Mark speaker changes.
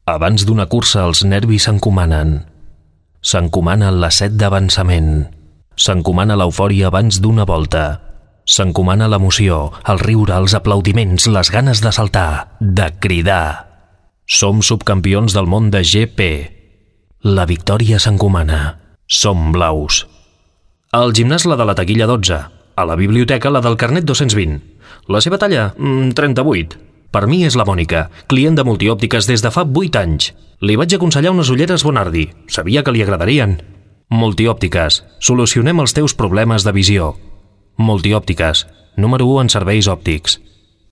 Speaker 1: Abans d'una cursa els nervis s'encomanen. S'encomana la set d'avançament. S'encomana l'eufòria abans d'una volta. S'encomana l'emoció, el riure, els aplaudiments, les ganes de saltar, de cridar. Som subcampions del món de GP. La victòria s'encomana. Som blaus. Al gimnàs la de la taquilla 12. A la biblioteca la del carnet 220. La seva talla? 38. Per mi és la Mònica, client de Multiòptiques des de fa 8 anys. Li vaig aconsellar unes ulleres Bonardi. Sabia que li agradarien. Multiòptiques. Solucionem els teus problemes de visió. Multiòptiques. Número 1 en serveis òptics.